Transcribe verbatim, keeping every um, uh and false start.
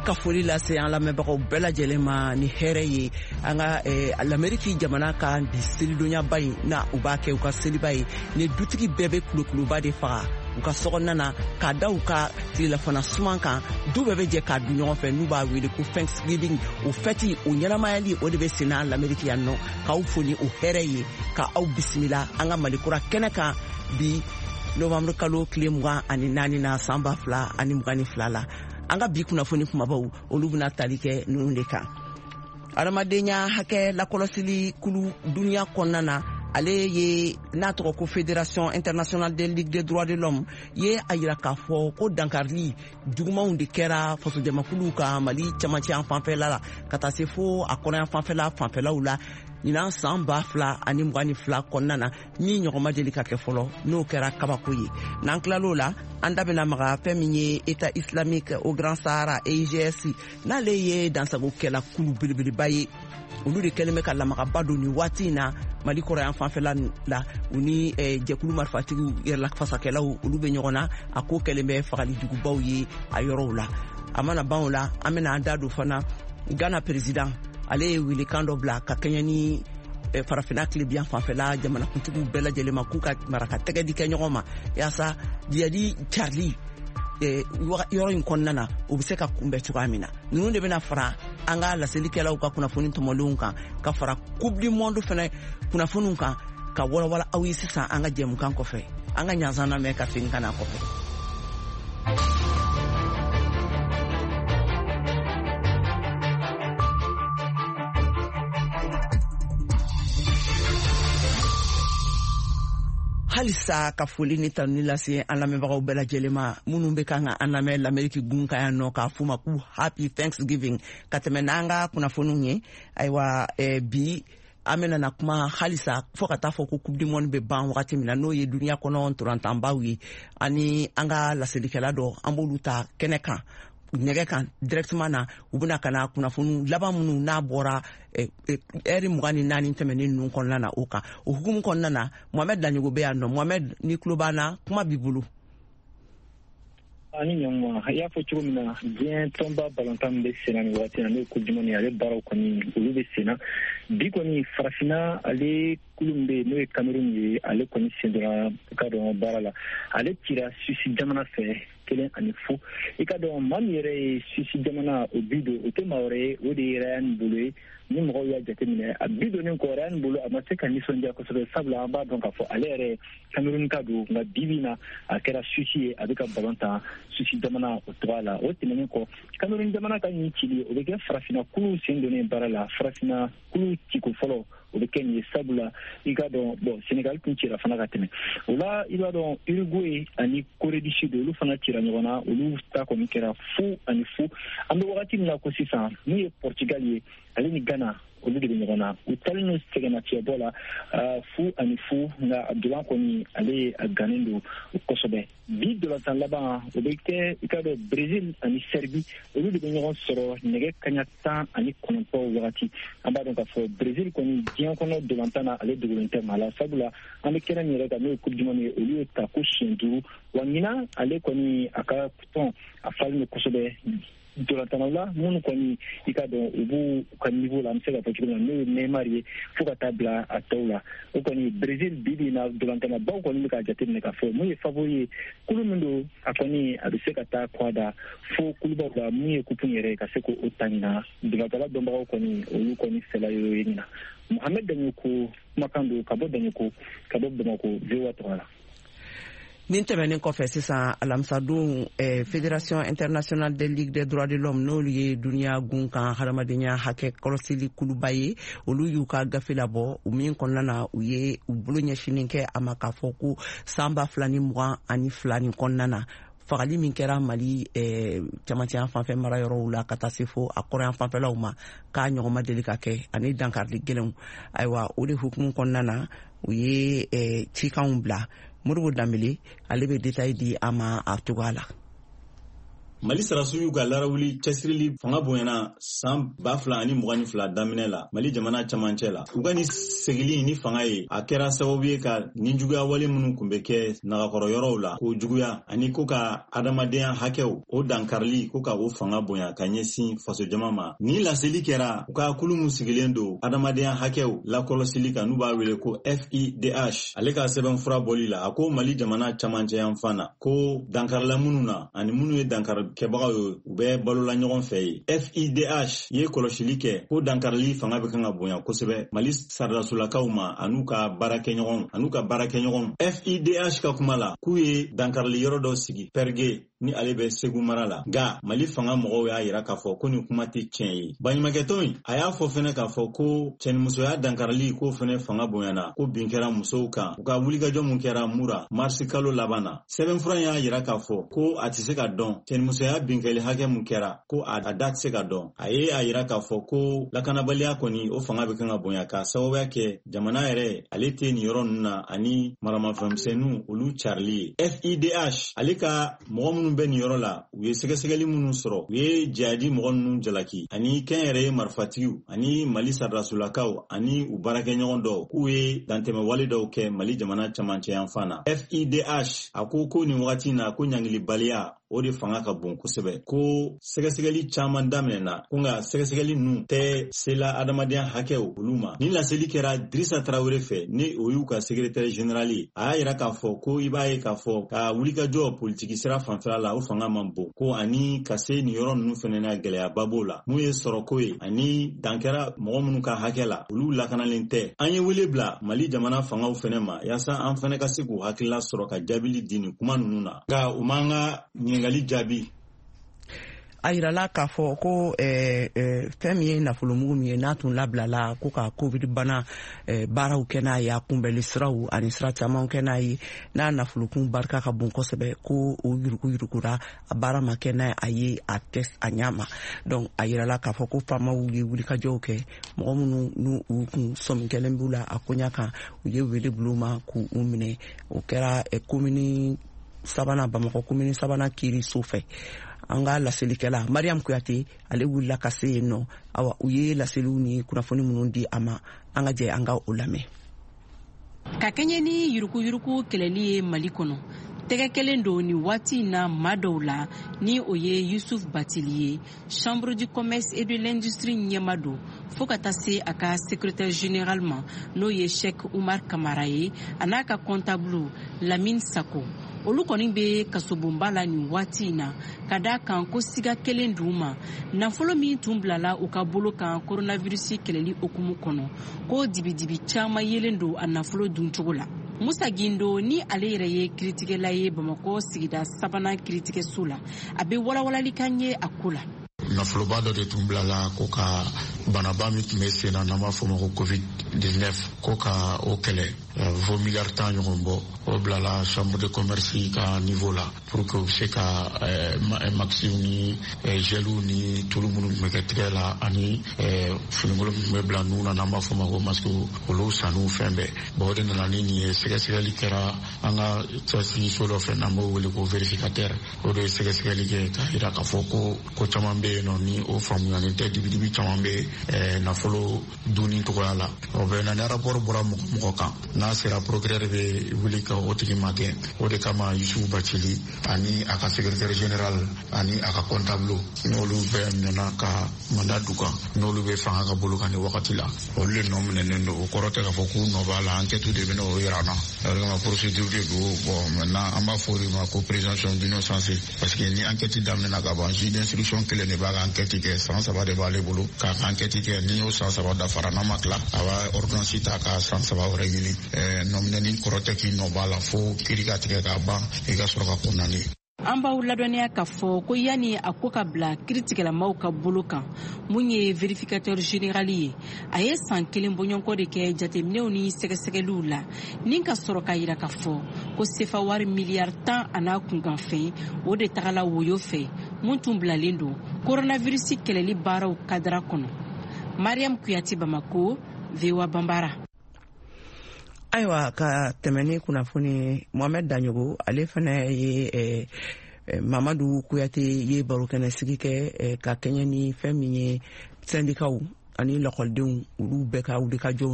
Ka foli lase an lamɛnbagaw bɛɛ lajɛlen ma ni hɛrɛ ye an ka Lameriki jamana ka bi selidonyaba in na, u b'a kɛ u ka seliba ye ni dutigi bɛɛ bɛ kulokuluba de faga u ka sokɔnɔna na k'a da u ka tilelafana suman kan. Du bɛɛ bɛ jɛ k'a dun ɲɔgɔn fɛ, n'u b'a wele ko Thanksgiving. O fɛti o ɲɛnamayali, o de bɛ senna Lameriki yan nɔ. K'aw fo ni o hɛrɛ ye, ka aw bisimila an ka Malikura kɛnɛ kan bi novembre kalo tile mugan ani naani na, san ba fila ani mugan ni fila la. An ka bi kunnafoni kumabaw, olu bɛna tali kɛ ninnu de kan: adamadenya hakɛ lakɔlɔsili kulu duniya kɔnɔna na, ale ye n'a tɔgɔ ko Fédération internationale des ligues des droits de l'homme, ye a yira k'a fɔ ko dankarili jugumanw de kɛra fasojamakuluw ka Mali camancɛ yan fanfɛla la ka taa se fo a kɔnɔyan fanfɛla fanfɛlaw la ɲinan san ba fila ani mugan ni fila kɔnɔna na, min ɲɔgɔn ma deli ka kɛ fɔlɔ, n'o kɛra kabako ye. N'an tilal'o la, an da bɛna maga fɛn min ye État islamique au Grand Sahara, E I G S, n'ale ye dansagokɛla kulu belebeleba ye, olu de kɛlen bɛ ka lamagaba don nin waati in na Mali kɔrɔyan fanfɛla la. U ni jɛkulu marifatigiw yɛrɛlafasakɛlaw, olu bɛ ɲɔgɔn na. A ko kɛlen bɛ fagali jugubaw ye a yɔrɔw la. A mana ban o la, an bɛna an da don fana Ghana président, ale ye welekan dɔ bila ka kɛɲɛ ni Farafinna tilebiyan fanfɛla jamanakuntigiw bɛɛ lajɛlen ma, k'u ka mara ka tɛgɛ di kɛ ɲɔgɔn ma yaasa jihadi carili yɔrɔ in kɔnɔna na, o bɛ se ka kunbɛn cogoya min na. Ninnu de bɛna fara an ka laselikɛlaw ka kunnafoni tɔmɔlenw kan, ka fara Coupe du monde fana kunnafoniw kan, ka walawala aw ye sisan an ka jɛmukan kɔfɛ. An ka ɲansan lamɛn ka segin ka na kɔfɛ. Halisa ka foli ni tanuni lase an lamɛnbagaw bɛɛ lajɛlen ma minnu bɛ kan ka an lamɛn Lameriki gun kan yan nɔ, k'a f'u ma k'u happy Thanksgiving. Ka tɛmɛ n'an ka kunnafoniw ye, ayiwa, bi an bɛna na kuma halisa fo ka taa fɔ ko Coupe du monde bɛ ban wagati min na, n'o ye duniya kɔnɔ ntolantanbaw ye, ani an ka laselikɛla dɔ, an b'olu ta kɛnɛ kan, nɛgɛ kan directement na. U bɛna ka na kunnafoni laban minnu n'a bɔra ɛri mugan ni naani tɛmɛnen ninnu kɔnɔna na, o kan. O hukumu kɔnɔna na, Mohamed Daɲogo bɛ yan nɔ. Mohamed, ni tulo b'an na, kuma b'i bolo. Ani ɲɔgɔn, i y'a fɔ cogo min na, diɲɛ tɔnba balontan min bɛ senna nin waati na, n'o ye Coupe du monde ye, ale baaraw kɔni, olu bɛ senna bi kɔni. Farafinna ale kulu min bɛ yen, n'o ye Cameroun ye, ale kɔni sen donna, i ka dɔn, baara la. Ale cira Suisse jamana fɛ kelen ani fu. I ka dɔn, maa min yɛrɛ ye Suisse jamana o bi don, o tɛ maa wɛrɛ ye, o de ye Ryan Bolo ye. Ni mɔgɔw y'a jateminɛ, a bi donnen kɔ, Ryan Bolo a ma se ka nisɔndiya kosɛbɛ, sabula an b'a dɔn k'a fɔ ale yɛrɛ Cameroun ka don, nka bi bi in na a kɛra Suisse ye, a bɛ ka balon tan Suisse jamana o tɔgɔ la. O tɛmɛnen kɔ, Cameroun jamana ka nin cili, o bɛ kɛ farafinna kulu sen donnen baara la, farafinna kulu ciko fɔlɔ o bɛ kɛ nin ye, sabula i ka dɔn, bɔn, Sénégal tun cira fana ka tɛmɛ o la. I b'a dɔn, Uruguay ani Corée du Sud, olu fana cira ɲɔgɔn na, olu ta kɔni kɛra fu ani fu. An bɛ wagati min na ko sisan, min ye Portugal ye, ale ni Ghana, olu de bɛ ɲɔgɔn na, u talen don sɛgɛnnafiɲɛbɔ la fu ani fu, nka Abdoulaye kɔni, ale a gannen don kosɛbɛ. Bi dolantan laban, o bɛ kɛ, i ka dɔn, Brésil ani Serbie, olu de bɛ ɲɔgɔn sɔrɔ nɛgɛ kaɲa tan ani kɔnɔntɔn wagati. An b'a dɔn k'a fɔ Brésil kɔni, diɲɛ kɔnɔ dolantan na, ale dogolen tɛ maa la, sabula an bɛ kɛnɛ min yɛrɛ kan, n'o ye Coupe du monde ye, olu ye ta ko siɲɛ duuru wa. Ɲinan ale kɔni, a ka tɔn a falen don kosɛbɛ dolantannaw la, minnu kɔni, i ka dɔn, u b'u ka niveau la, an bɛ se ka fɔ cogo min na, n'o ye Neymar ye fo ka taa bila a tɔw la. O kɔni, Brésil bi bi in na, dolantannabaw kɔni bɛ k'a jateminɛ k'a fɔ mun ye favori ye, kulu min don, a kɔni a bɛ se ka taa kɔ da fo kulubaw la, mun ye coupe yɛrɛ ye, ka se k'o ta ɲinan. Dolantanla dɔnbagaw kɔni, olu kɔni fɛla y'o ye ɲinan. Mohamed Daɲoko kumakan don ka bɔ Daɲoko, ka bɔ Bamakɔ, V O A tɔgɔ la. Nin tɛmɛnen kɔfɛ, sisan alamisadon, eh, Fédération internationale des ligues des droits de l'homme, n'olu ye duniya gun kan hadamadenya hakɛ kɔlɔsili kuluba ye, olu y'u ka gafe labɔ, u min kɔnɔna na u ye u bolo ɲɛsinin kɛ a ma k'a fɔ ko san ba fila ni mugan ani fila nin kɔnɔna na, fagali min kɛra Mali eh, camancɛya fanfɛ mara yɔrɔw la ka taa se fo a kɔrɔyan fanfɛlaw ma, k'a ɲɔgɔn ma deli ka kɛ, ani dankarili gɛlɛnw. Ayiwa, o de hukumu kɔnɔna na, u ye eh, cikanw bila. Modibo Danbele, ale bɛ détail di an ma a cogoya la. Mali sarasiw y'u ka larawuli cɛsirili fanga bonyana san ba fila ani mugan ni fila daminɛ la Mali jamana camancɛ la. U ka ni segili ni fanga ye, a kɛra sababu ye ka ninjuguya wale minnu kun bɛ kɛ nagakɔrɔ yɔrɔw la k'o juguya, ani ko ka adamadenya hakɛw o dankarili, ko ka o fanga bonya ka ɲɛsin fasojama ma. Ni laseli kɛra u ka kulu mun sigilen don adamadenya hakɛw lakɔlɔsili kan, n'u b'a wele ko F I D H, ale ka sɛbɛnfura bɔli la, a ko Mali jamana camancɛ yanfan na, ko dankarila minnu na ani minnu ye dankarikɛbagaw ye, u bɛ balola ɲɔgɔn fɛ ye. F I D H ye kɔlɔsili kɛ ko dankarili fanga bɛ kan ka bonya kosɛbɛ Mali saradasolakaw ma an'u ka baarakɛɲɔgɔnw an'u ka baarakɛɲɔgɔnw. F I D H ka kuma la, k'u ye dankarili yɔrɔ dɔ sigi Pɛrige ni ale bɛ Segu mara la, nka Mali fanga mɔgɔw y'a yira k'a fɔ ko nin kuma tɛ tiɲɛ ye. Baɲumankɛtɔn in a y'a fɔ fɛnɛ k'a fɔ ko cɛnimusoya dankarili k'o fɛnɛ fanga bonyana, ko bin kɛra musow kan u ka wulikajɔ mun kɛra Mura marisi kalo laban na. Sɛbɛnfura y'a yira k'a fɔ ko a tɛ se ka dɔn cɛnimusoya binkɛli hakɛ mun kɛra, ko a da tɛ se ka dɔn. A ye a yira k'a fɔ ko lakanabaliya kɔni, o fanga bɛ kan ka bonya k'a sababuya kɛ jamana yɛrɛ ale tɛ nin yɔrɔ ninnu na ani maramafɛnmisɛnninw olu carili ye. F I D H ale ka mɔgɔ minnu bɛ nin yɔrɔ la, u ye sɛgɛsɛgɛli minnu sɔrɔ, u ye jihadi mɔgɔ ninnu jalaki ani kɛnyɛrɛye marifatigiw ani Mali saradasolakaw ani u baarakɛɲɔgɔn dɔw, k'u ye dantɛmɛwale dɔw kɛ Mali jamana camancɛ yanfan na. F I D H a ko ko nin wagati in na, ko ɲangilibaliya o de fanga ka bon kosɛbɛ, ko sɛgɛsɛgɛli caman daminɛna, ko nka sɛgɛsɛgɛli ninnu tɛ sela adamadenya hakɛw olu ma. Ni laseli kɛra Dirisa Tarawele fɛ, ni o y'u ka secrétaire général ye. A y'a yira k'a fɔ ko i b'a ye k'a fɔ ka wulikajɔ politiki sira fanfɛla la, o fanga man bon, ko ani ka se nin yɔrɔ ninnu fɛnɛ na, gɛlɛyaba b'o la, mun ye sɔrɔko ye ani dan kɛra mɔgɔ minnu ka hakɛ la, olu lakanalen tɛ. An ye wele bila Mali jamana fangaw fɛnɛ ma yaasa an fɛnɛ ka se k'u hakilila sɔrɔ ka jaabili di nin kuma ninnu na, nka u m'an ka ɲininkali jaabi. A yirala k'a fɔ ko eh, eh, fɛn min ye nafolomugu min ye, n'a tun labilala ko ka covid bana eh, baaraw kɛ n'a ye, a kunbɛli siraw ani sira camanw kɛ n'a ye, n'a nafolokun barika ka bon kosɛbɛ, ko o yuruguyurugura, a baara ma kɛ n'a a ye a tɛ a ɲa ma. Donc a yirala k'a fɔ ko faamaw ye wulikajɔw kɛ, mɔgɔ minnu n'u u kun sɔmi kɛlen b'u la a koɲa kan, u ye wele bila u ma k'u minɛ. O kɛra eh, komini sabanan, Bamakɔ komini sabanan kiiriso fɛ. An ka laselikɛla Mariam Kuyate, ale wulila ka se yen nɔ. Awa, u ye laseliw ni kunnafoni minnu di a ma, an ka jɛ an ka o lamɛn. Ka kɛɲɛ ni yuruguyurugu kɛlɛli ye Mali kɔnɔ, tɛgɛ kelen don nin waati in na maa dɔw la, ni o ye Yusuf Batili ye, Chambre du commerce et de l'industrie ɲɛma don, fo ka taa se a ka secrétaire général ma, n'o ye Sheikh Umar Kamara ye, a n'a ka comptable Lamine Sako. Olu kɔni bɛ kasobonba la nin waati in na, ka da kan ko siga kelen d'u ma nafolo min tun bilala u ka bolo kan coronavirus kɛlɛli hukumu kɔnɔ, ko dibidibi caman yelen don a nafolo duncogo la. Musa Gindo, ni ale yɛrɛ ye kiritigɛla ye Bamakɔ sigida sabanan kiritigɛso la, a bɛ walawalali kan ye a ko la. Nafoloba dɔ de tun bilala ko ka banaba min tun bɛ sen na, n'an b'a fɔ o ma ko covid dix-neuf, ko ka o kɛlɛ, fo miliyari tan ɲɔgɔn bɔ. O bilala chambre de commerce ka niveau la pour que u bɛ se ka masques ni geliw ni tulu minnu tun bɛ kɛ tigɛ la ani finikolon min tun bɛ bila nun na, n'an b'a fɔ o ma ko masque, olu sanniw fɛn bɛɛ. Bon, o de nana ni nin ye. Sɛgɛsɛgɛli kɛra an ka cɛsiriso dɔ fɛ, n'an b'o wele ko vérificateur. O de ye sɛgɛsɛgɛli kɛ k'a jira k'a fɔ ko ko caman bɛ yen nɔ ni o faamuyalen tɛ, dibidibi caman bɛ nafolo dunni cogoya la. O bɛ na ni rapport bɔra mɔgɔ mɔgɔ kan, n'a sera procureur bɛ wuli ka o tigi magɛn. O de kama Yusufu Bacili ani a ka secrétaire général ani a ka comptable, n'olu bɛɛ minɛna ka mandat d'u kan, n'olu bɛ fanga ka bolo kan nin wagati la, olu de nɔ minɛnen don. O kɔrɔ tɛ k'a fɔ k'u nɔ b'a la, enquête de bɛ n'o yira an na. O de kama procédure de don. Bon, maintenant an b'a fɔ o de ma ko présomption d'innocence, parce que ni enquête daminɛna ka ban, juge d'instruction kelen de b'a ka enquête kɛ, san saba de b'ale bolo k'a ka enquête kɛ. Ni y'o san saba dafara, n'a ma tila, a b'a ordonnance ta ka san saba wɛrɛ ɲini. Nɔminɛni kɔrɔ tɛ k'i nɔ b'a la, fo kiiri ka tigɛ k'a ban, i ka sɔrɔ ka condamné. An b'aw ladɔnniya k'a fɔ ko yanni a ko ka bila kiritigɛlamaw ka bolo kan, mun ye vérificateur général ye, a ye san kelen bɔɲɔgɔnko de kɛ jateminɛw ni sɛgɛsɛgɛliw la, ni ka sɔrɔ k'a yira k'a fɔ ko sefa wari miliyari tan a n'a kunkanfɛn, o de tagala woyo fɛ, mun tun bilalen don coronavirus kɛlɛli baaraw kadara kɔnɔ. Mariam Kuyate, Bamako, V O A Banbara. Ayiwa, ka tɛmɛ ni kunnafoni, Mohamɛd Daɲogo, ale fana ye eh, Mamadu Kuyate ye barokɛnɛ sigi kɛ ka kɛɲɛ ni fɛn min ye sɛndikaw ani lakɔlidenw, olu bɛɛ ka wulikajɔw.